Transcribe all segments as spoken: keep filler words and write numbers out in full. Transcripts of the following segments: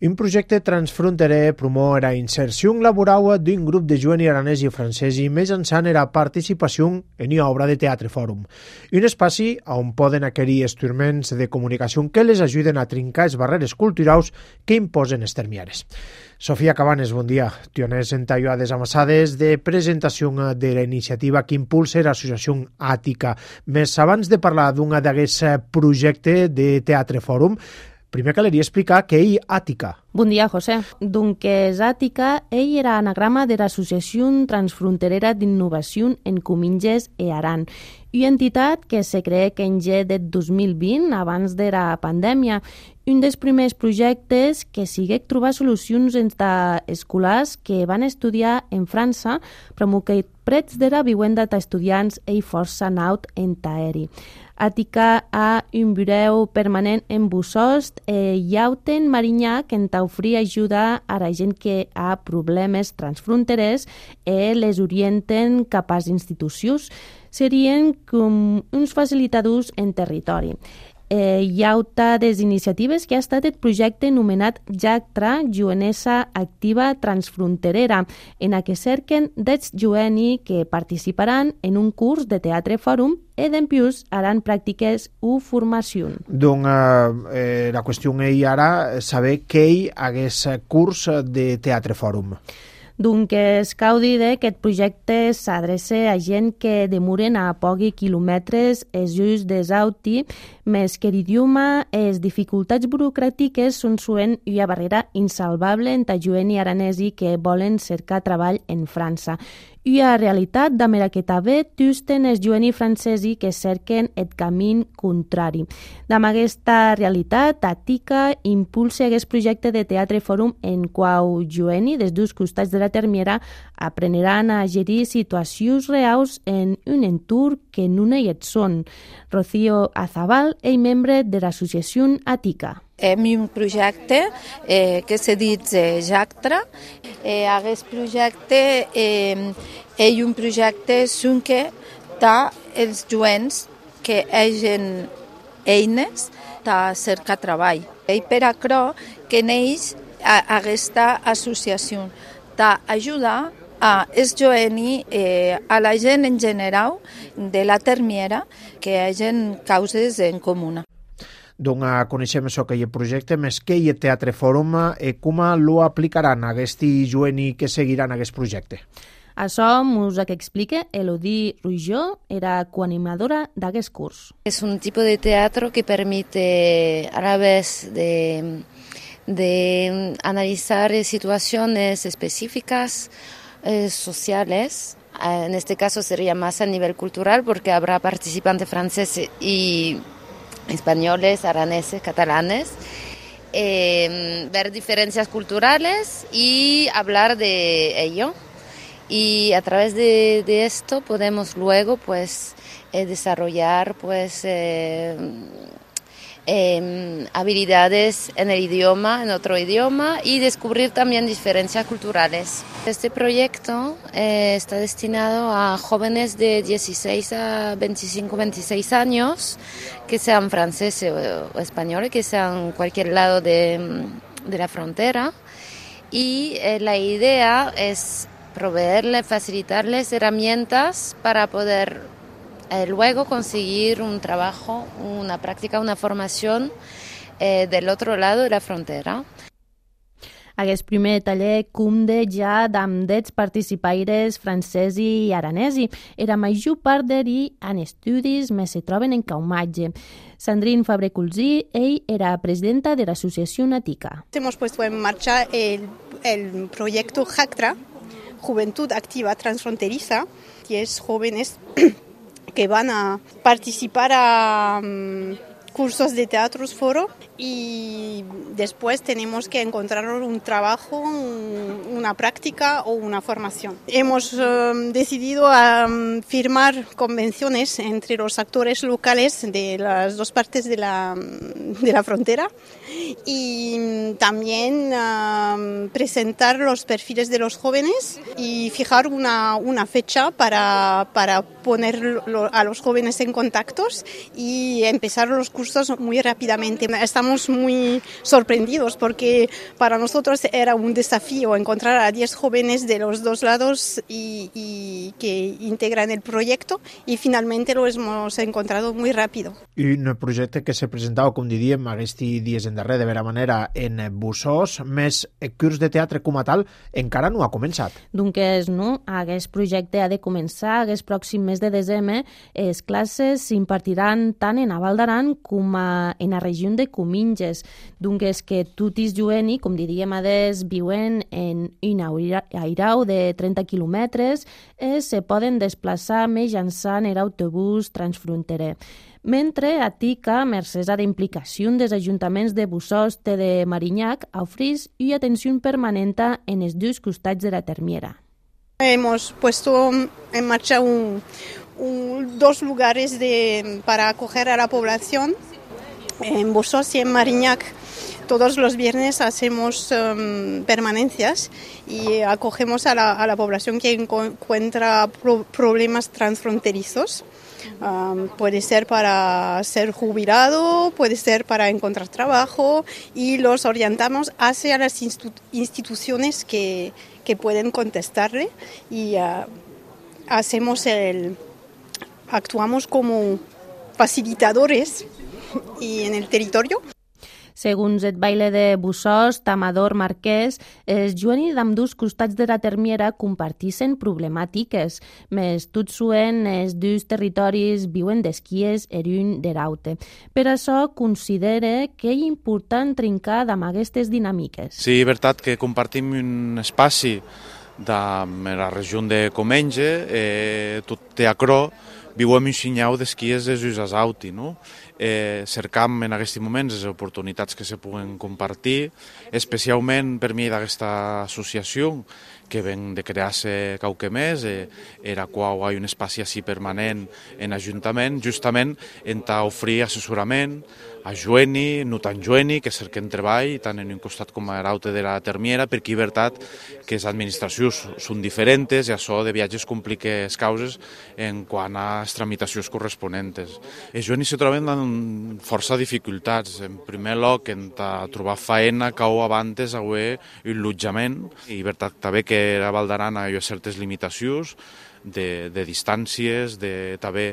Un projecte transfronterer promou la inserció laboral d'un grup de joves aranès i francesi mitjançant la participació en una obra de teatre fòrum. Un espai on poden adquirir instruments de comunicació que les ajuden a trencar les barreres culturals que imposen els termiares. Sofia Cabanes, bon dia. Tioners en tallades amassades de presentació de la iniciativa que impulsa l'associació Àtica. Més abans de parlar d'un d'aquest projecte de teatre fòrum, primer caleria explicar què és Àtica. Bon dia, José. Doncs Àtica ell era anagrama de l'Associació Transfronterera d'Innovació en Cominges e Aran, una entitat que se cree que en ge de dos mil vint, abans de la pandèmia. Un dels primers projectes que sigué trobar solucions entre escolars que van estudiar en França, però que prets de la vivenda d'estudiants i força naut en aeri. Àtica ha un bureau permanent en Bussost e Yauten Marinyà que en t'oferir ajuda a la gent que ha problemes transfronterers e les orienten cap a les institucions. Serien com uns facilitadors en territori. Eh, hi ha altres iniciatives que ha estat el projecte anomenat Jactra, Jovenesa Activa Transfronterera, en què cerquen dels joves que participaran en un curs de teatre fòrum i d'empius haran pràctiques o formació. Doncs eh, la qüestió és ara saber què hi hagués curs de teatre fòrum. Doncs cal dir que aquest projecte s'adreça a gent que demoren a pocs quilòmetres els just desauti, més que l'idioma i les dificultats burocràtiques són sovint una barrera insalvable entre joves aranesi que volen cercar treball en França. Una realitat de la que també tusten els joves francesi que cerquen el camí contrari. Amb aquesta realitat, Àtica impulsa aquest projecte de teatre fòrum en qual joves dels dos costats de la termiera aprendran a gerir situacions reals en un entorn que no hi són. Rocío Azabal és membre de l'associació Àtica. Hem un projecte eh, que se dit eh, Jactra. Eh, aquest projecte eh, és un projecte que té els joves que hagin eines de cercar treball. I per això que neix aquesta associació d'ajudar a els joves, eh, a la gent en general de la termiera que hagin causes en comuna. Doncs coneixem això que hi ha projecte, més que hi ha teatre fòrum i com lo aplicaran aquests joves que seguiran aquest projecte. Això ens ho explica Elodie Rujó, era coanimadora d'aquest curs. Es un tipo de teatro que permite a la vez de, de analizar situaciones específicas eh, sociales. En este caso sería más a nivel cultural porque habrá participantes franceses y españoles, araneses, catalanes, eh, ver diferencias culturales y hablar de ello. Y a través de, de esto podemos luego pues eh, desarrollar pues eh, eh, habilidades en el idioma, en otro idioma y descubrir también diferencias culturales. Este proyecto eh, está destinado a jóvenes de dieciséis a veinticinco, veintiséis años que sean franceses o, o españoles, que sean cualquier lado de, de la frontera y eh, la idea es proveerles, facilitarles herramientas para poder eh, luego conseguir un trabajo, una práctica, una formación eh, del otro lado de la frontera. Aquest primer taller compta ja amb dels participaires francesi i aranesi. La major part d'ells en estudis més se troben en Caumatge. Sandrine Fabre-Culzí, ell era presidenta de l'associació Àtica. Hemos puesto en marcha el, el proyecto Jactra, Juventud Activa Transfronteriza, diez jóvenes que van a participar a um, cursos de teatros foro y después tenemos que encontrar un trabajo, un, una práctica o una formación. Hemos um, decidido um, firmar convenciones entre los actores locales de las dos partes de la, de la frontera y también uh, presentar los perfiles de los jóvenes y fijar una, una fecha para, para poner a los jóvenes en contactos y empezar los cursos muy rápidamente. Estamos muy sorprendidos porque para nosotros era un desafío encontrar a diez jóvenes de los dos lados y, y que integran el proyecto y finalmente lo hemos encontrado muy rápido. I un projecte que se presentava, com diríem, aquests dies en darrer, de vera manera, en Bussos, més el curs de teatre com a tal, encara no ha començat. Doncs no, aquest projecte ha de començar aquest pròxim mes de desembre. Les classes s'impartiran tant en a Val d'Aran com a, en la regió de Cominges. Doncs que tutis jueni, com diríem adés, viuen en un airau de trenta quilòmetres, eh, se poden desplaçar mitjançant l'autobús transfronterer. Mentre a Tica, mercès a la implicació dels ajuntaments de Bussos i de Marinyac, ofereix una atenció permanente en els dos costats de la termiera. Hemos puesto en marcha un, un, dos lugares de, para acoger a la población en Bussos y en Marinyac. Todos los viernes hacemos um, permanencias y acogemos a la, a la población que encuentra pro, problemas transfronterizos. Um, puede ser para ser jubilado, puede ser para encontrar trabajo y los orientamos hacia las institu- instituciones que, que pueden contestarle y uh, hacemos el, actuamos como facilitadores y en el territorio. Segons el baile de Bussos, Tamador Marquès, els juenis d'ambdós costats de la termiera compartixen problemàtiques, més tot suen els dos territoris viuen d'esquies er un d'eraute. Per això considera que és important trincar amb aquestes dinàmiques. Sí, és veritat que compartim un espai de la regió de Comenge, eh, tot teacró, viuem un xinyau d'esquies de Jusas Auti, no? Eh, cercam en aquests moments les oportunitats que se puguen compartir, especialment per mi d'aquesta associació que ven de crear-se qualque més, eh, era qual hi ha un espai així permanent en Ajuntament, justament en oferir assessorament a jueni, no tan jueni, que cerquen treball, tant en un costat com a l'altre de la termiera, perquè és veritat que les administracions són diferents i això de viatges complica les causes en quant a les tramitacions corresponents. Els juenis se troben amb força dificultats. En primer lloc, en trobar feina, cau abans haver un allotjament, i és veritat també que a Val d'Aran hi ha certes limitacions, de, de distàncies, de, també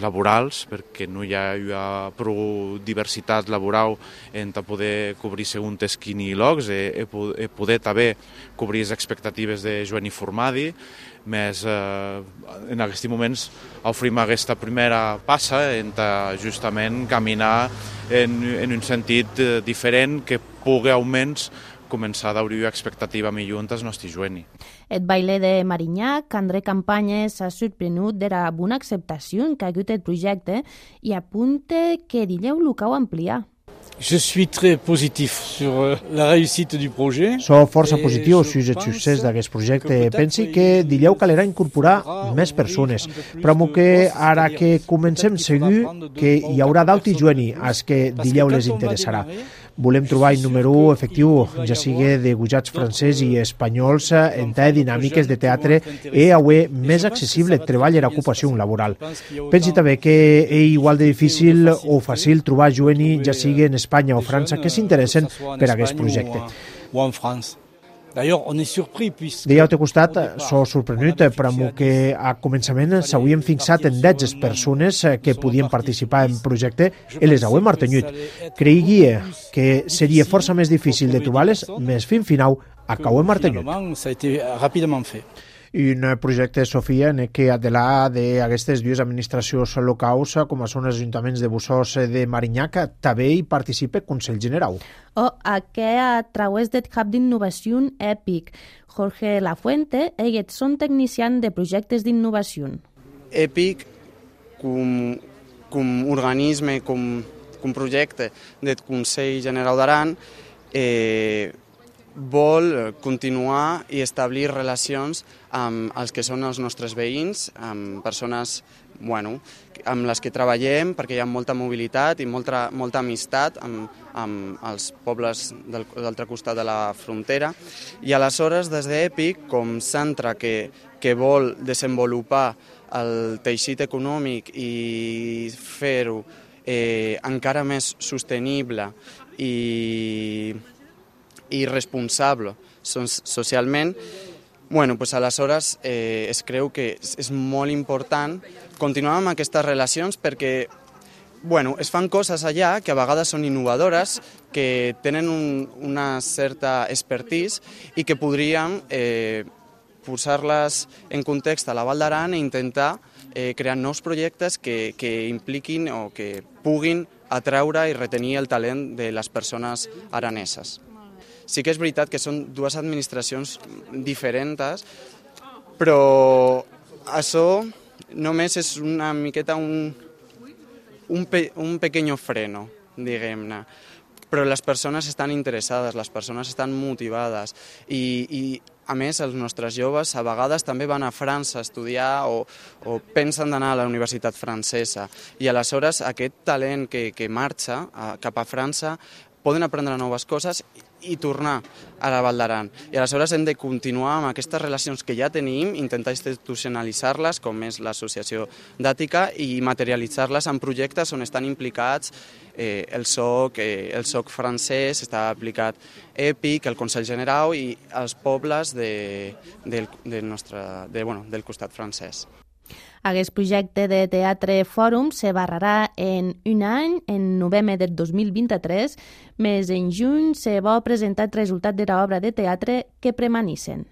laborals, perquè no hi ha, hi ha prou diversitat laboral en poder cobrir segons quins llocs, i, i poder també cobrir les expectatives de jueni formadi, més eh, en aquests moments oferim aquesta primera passa en justament caminar en, en un sentit diferent que pugui almenys començar a obrir expectativa millor en els nostres jueni. El baile de Marinyac, André Campanyes, s'ha sorprenut de la bona acceptació que ha hagut el projecte i apunta que dileu lo cau ampliar. Je suis très positif sur la réussite du projet. Soc força positiu sobre el succés d'aquest projecte. Pensi que dileu calerà incorporar més persones, però que ara que comencem segur que hi haurà d'alti jueni als que dileu les interessarà. Volem trobar un número efectiu, ja sigui de gujats francès i espanyols, en té dinàmiques de teatre i avui més accessible treball i ocupació laboral. Pensi també que és igual de difícil o fàcil trobar jueni, ja sigui en Espanya o França, que s'interessen per a aquest projecte. O en France. D'ailleurs, on est surpris puisque... De l'altre costat, s'ho sorprenut per que a començament s'havien fixat en dotze persones que podien participar en projecte i les hauem mantingut. Creiguia que seria força més difícil de trobar-les, més fin final acabem mantingut. Ça a été rapidement fait. Un projecte, Sofia, en què de la d'aquestes dues administracions locals, com són els ajuntaments de Bussos de Marinyac, també hi participa el Consell General. O a què a través del Hub d'Innovació EPIC. Jorge Lafuente, ell són tecnicians de projectes d'innovació. EPIC, com, com organisme, com, com projecte del Consell General d'Aran, eh, vol continuar i establir relacions amb els que són els nostres veïns, amb persones bueno, amb les que treballem, perquè hi ha molta mobilitat i molta, molta amistat amb, amb els pobles del, d'altre costat de la frontera. I aleshores, des d'EPIC, com centre que, que vol desenvolupar el teixit econòmic i fer-ho eh, encara més sostenible i, i responsable socialment, bueno, pues aleshores eh, es creu que és, és molt important continuar amb aquestes relacions perquè bueno, es fan coses allà que a vegades són innovadores, que tenen un, una certa expertise i que podríem eh, posar-les en context a la Val d'Aran i intentar eh, crear nous projectes que, que impliquin o que puguin atraure i retenir el talent de les persones araneses. Sí que és veritat que són dues administracions diferents, però això només és una miqueta un, un, pe, un pequeño freno, diguem-ne. Però les persones estan interessades, les persones estan motivades i, i a més els nostres joves a vegades també van a França a estudiar o, o pensen d'anar a la universitat francesa i aleshores aquest talent que, que marxa a, cap a França poden aprendre noves coses i tornar a la Val d'Aran. I aleshores hem de continuar amb aquestes relacions que ja tenim, intentar institucionalitzar-les, com és l'associació d'Àtica, i materialitzar-les en projectes on estan implicats eh, el S O C, eh, el S O C francès, està aplicat EPIC, el Consell General i els pobles de, del, del, nostre, de, bueno, del costat francès. Aquest projecte de Teatre Fòrum se barrarà en un any, en novembre del dos mil vint-i-tres, més en juny se va presentar el resultat de l'obra de teatre que premanissen.